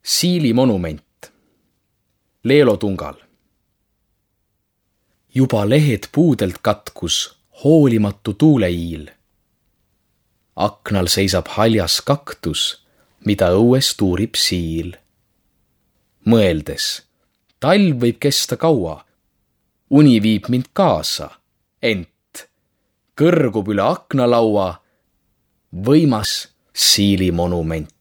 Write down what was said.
Siili monument. Leelo Tungal. Juba lehed puudelt katkus hoolimatu tuuleiil. Aknal seisab haljas kaktus, mida õues tuurib siil. Mõeldes, talv võib kesta kaua, uni viib mind kaasa, ent kõrgub üle aknalaua võimas siili monument.